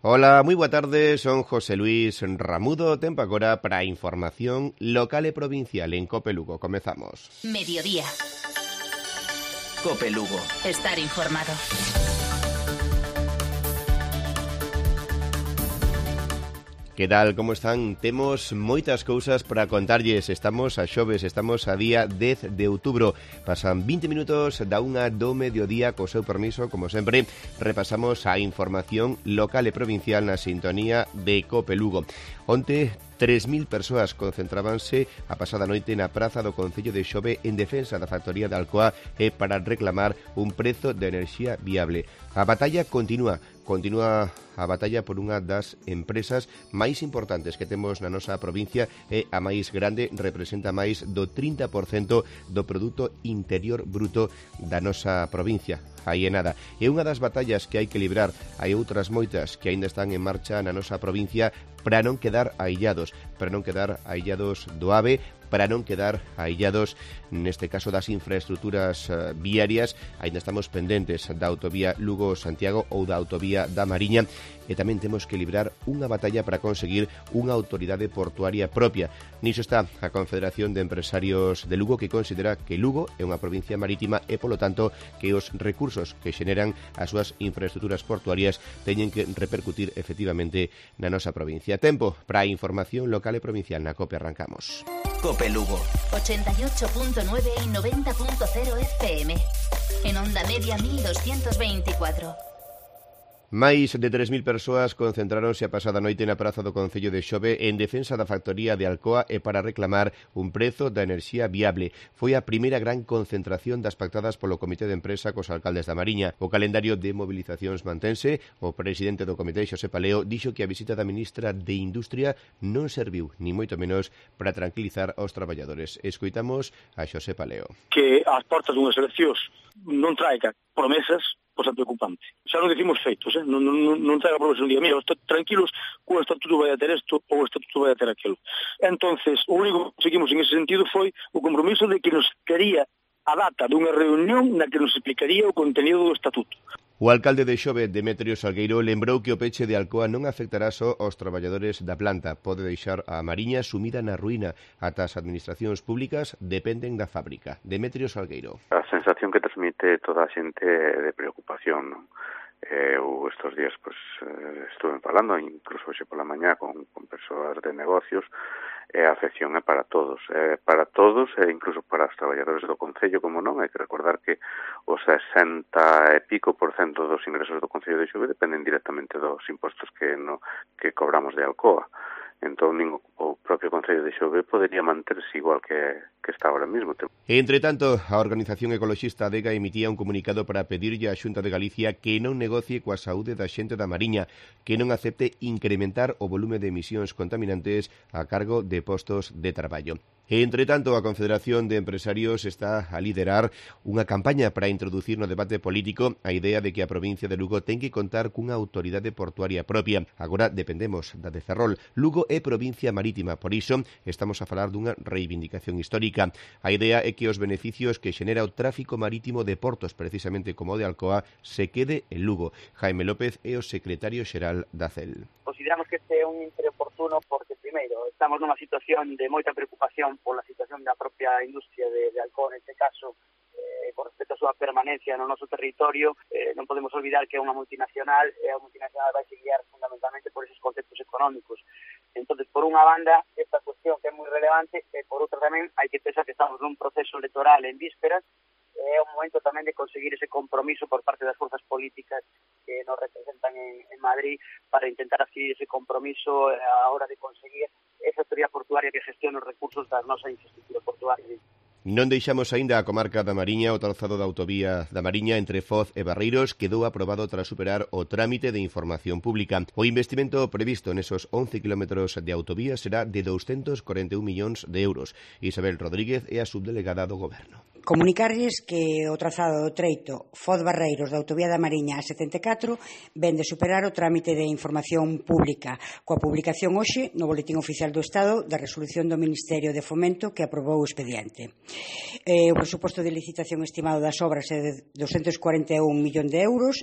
Ola, moi boa tarde, son José Luis Ramudo, tempo agora para a información local e provincial en Cope Lugo. Comezamos. Mediodía. Cope Lugo. Estar informado. Que tal, como están? Temos moitas cousas para contarlles. Estamos a xoves, estamos a día 10 de outubro. Pasan 20 minutos da unha do mediodía. Co seu permiso, como sempre, repasamos a información local e provincial na sintonía de Cope Lugo. Onte, 3.000 persoas concentrábanse a pasada noite na praza do Concello de Xove en defensa da factoría de Alcoa e para reclamar un prezo de enerxía viable. A batalla continúa a batalla por unha das empresas máis importantes que temos na nosa provincia e a máis grande, representa máis do 30% do produto interior bruto da nosa provincia. Aí é nada. É unha das batallas que hai que librar. Hai outras moitas que aínda están en marcha na nosa provincia para non quedar aillados do AVE, para non quedar aillados, neste caso das infraestructuras viarias. Ainda estamos pendentes da autovía Lugo-Santiago ou da autovía da Mariña, e tamén temos que librar unha batalla para conseguir unha autoridade portuaria propia. Niso está a Confederación de Empresarios de Lugo, que considera que Lugo é unha provincia marítima e, polo tanto, que os recursos que xeneran as súas infraestructuras portuarias teñen que repercutir efectivamente na nosa provincia. Tempo para a información local e provincial na COPE. Arrancamos. Cope Lugo 88.9 y 90.0 FM. En onda media 1224. Máis de 3.000 persoas concentráronse a pasada noite na praza do Concello de Xove en defensa da factoría de Alcoa e para reclamar un prezo da enerxía viable. Foi a primeira gran concentración das pactadas polo Comité de Empresa cos alcaldes da Mariña. O calendario de movilizacións mantense. O presidente do comité, Xosé Paleo, dixo que a visita da ministra de Industria non serviu, ni moito menos, para tranquilizar aos traballadores. Escoitamos a Xosé Paleo. Que ás portas dunhas eleccións non traiga promesas, pois é preocupante. Xa non decimos feitos, non traiga promesas un día. Mira, tranquilos, o estatuto vai a ter isto ou o estatuto vai a ter aquilo. Entonces, o único que seguimos en ese sentido foi o compromiso de que nos quería a data dunha reunión na que nos explicaría o contenido do estatuto. O alcalde de Xove, Demetrio Salgueiro, lembrou que o peche de Alcoa non afectará só aos traballadores da planta. Pode deixar a Mariña sumida na ruína. Ata as administracións públicas dependen da fábrica. Demetrio Salgueiro. A sensación que transmite toda a xente de preocupación, non? Eu estes días estuve falando, incluso hoxe pola mañá, con persoas de negocios, e a afección é para todos, e incluso para os traballadores do Concello, como non. Hai que recordar que o 60 e pico % dos ingresos do Concello de Xove dependen directamente dos impostos que cobramos de Alcoa. Entón, o propio Concello de Xove podería manterse igual que está ahora mesmo. Entre tanto, a organización ecoloxista ADEGA emitía un comunicado para pedirlle á Xunta de Galicia que non negocie coa saúde da xente da Mariña, que non acepte incrementar o volume de emisións contaminantes a cargo de postos de traballo. Entre tanto, a Confederación de Empresarios está a liderar unha campaña para introducir no debate político a idea de que a provincia de Lugo ten que contar cunha autoridade portuaria propia. Agora dependemos da de Ferrol. Lugo é provincia marítima, por iso estamos a falar dunha reivindicación histórica. A idea é que os beneficios que xenera o tráfico marítimo de portos, precisamente como o de Alcoa, se quede en Lugo. Jaime López é o secretario xeral da CEL. Consideramos que este é un oportuno porque, primeiro, estamos nunha situación de moita preocupación pola situación da propia industria de Alcoa, neste caso, con respecto a súa permanencia no noso territorio. Non podemos olvidar que é unha multinacional, e a multinacional vai se guiar fundamentalmente por esos conceptos económicos. Entonces, por unha banda, esta cuestión que é moi relevante, e por outra tamén hai que pensar que estamos nun proceso electoral en vísperas. É un momento tamén de conseguir ese compromiso por parte das forzas políticas que nos representan en Madrid para intentar adquirir ese compromiso a hora de conseguir esa autoridade portuaria que gestione os recursos da nosa infraestructura portuaria. Non deixamos aínda a comarca da Mariña. O trazado da autovía da Mariña entre Foz e Barreiros quedou aprobado tras superar o trámite de información pública. O investimento previsto nesos 11 kilómetros de autovía será de 241 millóns de euros. Isabel Rodríguez é a subdelegada do Goberno. Comunicarlles que o trazado do treito Foz Barreiros da Autovía da Mariña a 74 ven de superar o trámite de información pública coa publicación hoxe no Boletín Oficial do Estado da resolución do Ministerio de Fomento que aprobou o expediente. O presuposto de licitación estimado das obras é de 241 millóns de euros.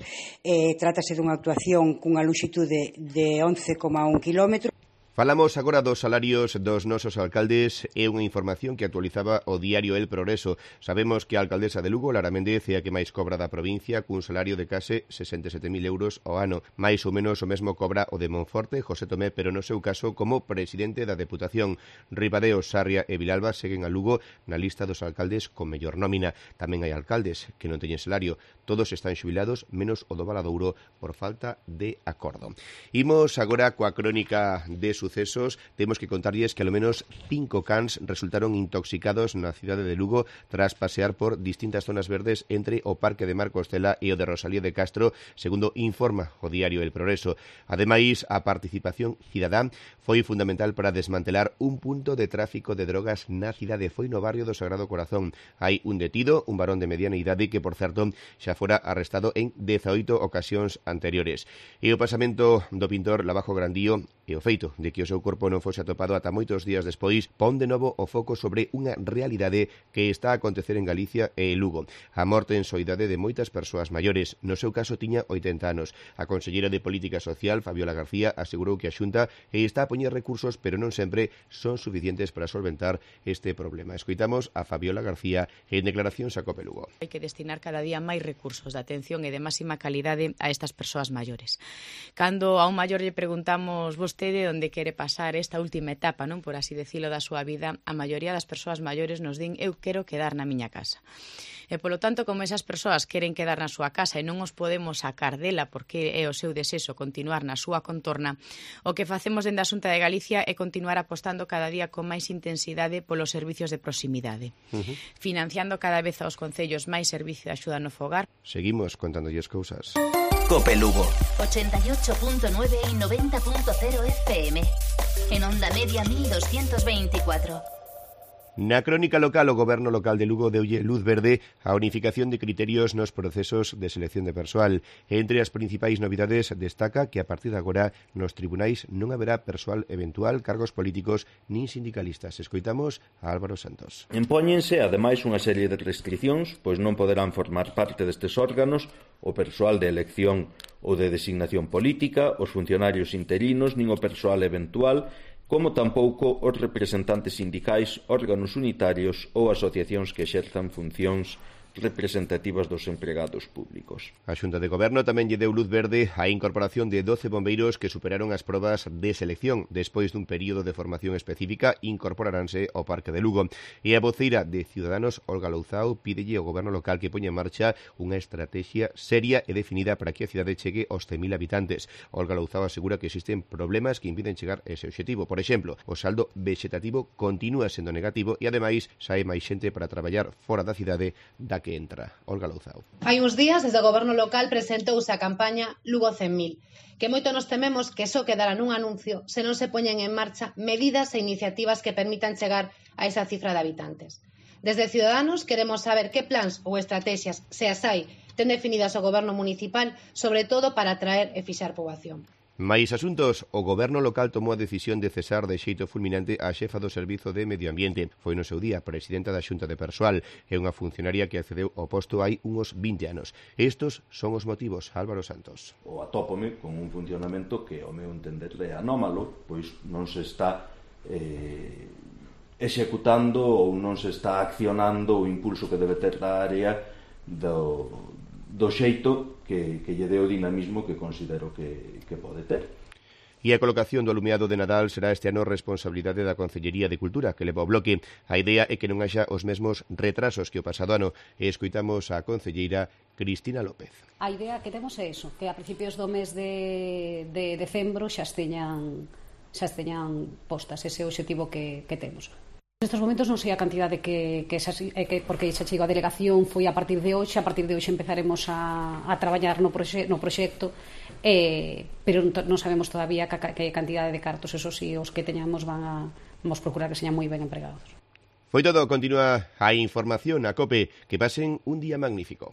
Trátase dunha actuación cunha lonxitude de 11,1 km. Falamos agora dos salarios dos nosos alcaldes e unha información que actualizaba o diario El Progreso. Sabemos que a alcaldesa de Lugo, Lara Méndez, é a que máis cobra da provincia cun salario de case 67.000 euros ao ano. Mais ou menos o mesmo cobra o de Monforte, José Tomé, pero no seu caso como presidente da Deputación. Ribadeo, Sarria e Vilalba seguen a Lugo na lista dos alcaldes con mellor nómina. Tamén hai alcaldes que non teñen salario. Todos están xubilados, menos o do Valadouro por falta de acordo. Imos agora coa crónica de sucesos. Temos que contarlles que ao menos 5 cans resultaron intoxicados na cidade de Lugo tras pasear por distintas zonas verdes entre o Parque de Marcostela e o de Rosalía de Castro, segundo informa o diario El Progreso. Ademais, a participación cidadá foi fundamental para desmantelar un punto de tráfico de drogas na cidade. Foi no barrio do Sagrado Corazón. Hai un detido, un varón de mediana idade que, por certo, xa fora arrestado en 18 ocasións anteriores. E o pasamento do pintor Lavajo Grandío e o feito de que o seu corpo non fose atopado ata moitos días despois pon de novo o foco sobre unha realidade que está a acontecer en Galicia e Lugo. A morte en soidade de moitas persoas maiores. No seu caso tiña 80 anos. A conselleira de Política Social, Fabiola García, asegurou que a Xunta está a poñer recursos, pero non sempre son suficientes para solventar este problema. Escoitamos a Fabiola García en declaracións a Cope Lugo. Hai que destinar cada día máis recursos de atención e de máxima calidade a estas persoas maiores. Cando a un maior lle preguntamos vostede onde quere pasar esta última etapa, non, por así decirlo, da súa vida, a maioría das persoas maiores nos din eu quero quedar na miña casa. E, polo tanto, como esas persoas queren quedar na súa casa e non os podemos sacar dela porque é o seu desexo continuar na súa contorna, o que facemos dende a Xunta de Galicia é continuar apostando cada día con máis intensidade polos servicios de proximidade, financiando cada vez aos concellos máis servicio de axuda no fogar. Seguimos contándolles cousas. Cope Lugo 88.9 y 90.0 FM. En onda media 1224. Na crónica local, o Goberno local de Lugo deulle luz verde á unificación de criterios nos procesos de selección de persoal. Entre as principais novidades destaca que a partir de agora nos tribunais non haberá persoal eventual, cargos políticos nin sindicalistas. Escoitamos a Álvaro Santos. Impóñense, ademais, unha serie de restriccións, pois non poderán formar parte destes órganos o persoal de elección ou de designación política, os funcionarios interinos, nin o persoal eventual, como tampouco os representantes sindicais, órganos unitarios ou asociacións que exerzan funcións representativas dos empregados públicos. A Xunta de Goberno tamén lle deu luz verde á incorporación de 12 bombeiros que superaron as probas de selección. Despois dun período de formación específica, incorporaranse ao Parque de Lugo. E a voceira de Ciudadanos, Olga Louzao, pídelle ao Goberno local que poña en marcha unha estrategia seria e definida para que a cidade chegue aos 100.000 habitantes. Olga Louzao asegura que existen problemas que impiden chegar a ese obxectivo. Por exemplo, o saldo vegetativo continúa sendo negativo e, ademais, sae máis xente para traballar fora da cidade da que entra. Olga Louzao. Hai uns días, desde o Goberno local presentouse a campaña Lugo 100.000, que moito nos tememos que só quedará nun anuncio se non se poñen en marcha medidas e iniciativas que permitan chegar a esa cifra de habitantes. Desde Ciudadanos queremos saber que plans ou estrategias, se as hai, ten definidas o Goberno municipal, sobre todo para atraer e fixar poboación. Mais asuntos, o Goberno local tomou a decisión de cesar de xeito fulminante a xefa do Servizo de Medio Ambiente. Foi no seu día presidenta da Xunta de Persoal e unha funcionaria que accedeu ao posto hai uns 20 anos. Estos son os motivos, Álvaro Santos. O atópome con un funcionamento que, ao meu entender, é anómalo, pois non se está executando ou non se está accionando o impulso que debe ter da área do xeito que lle dé o dinamismo que considero que pode ter. E a colocación do alumeado de Nadal será este ano responsabilidade da Concellería de Cultura, que leva o bloque. A idea é que non haxa os mesmos retrasos que o pasado ano. E escoitamos a concelleira Cristina López. A idea que temos é iso, que a principios do mes de decembro xa teñan postas, ese é o obxectivo que temos. Nestes momentos non sei a cantidade porque xa chegou a delegación foi a partir de hoxe empezaremos a traballar no proxecto, pero non sabemos todavía que cantidade de cartos, eso sí, os que teñamos vamos procurar que señan moi ben empregados. Foi todo, continúa a información a COPE. Que pasen un día magnífico.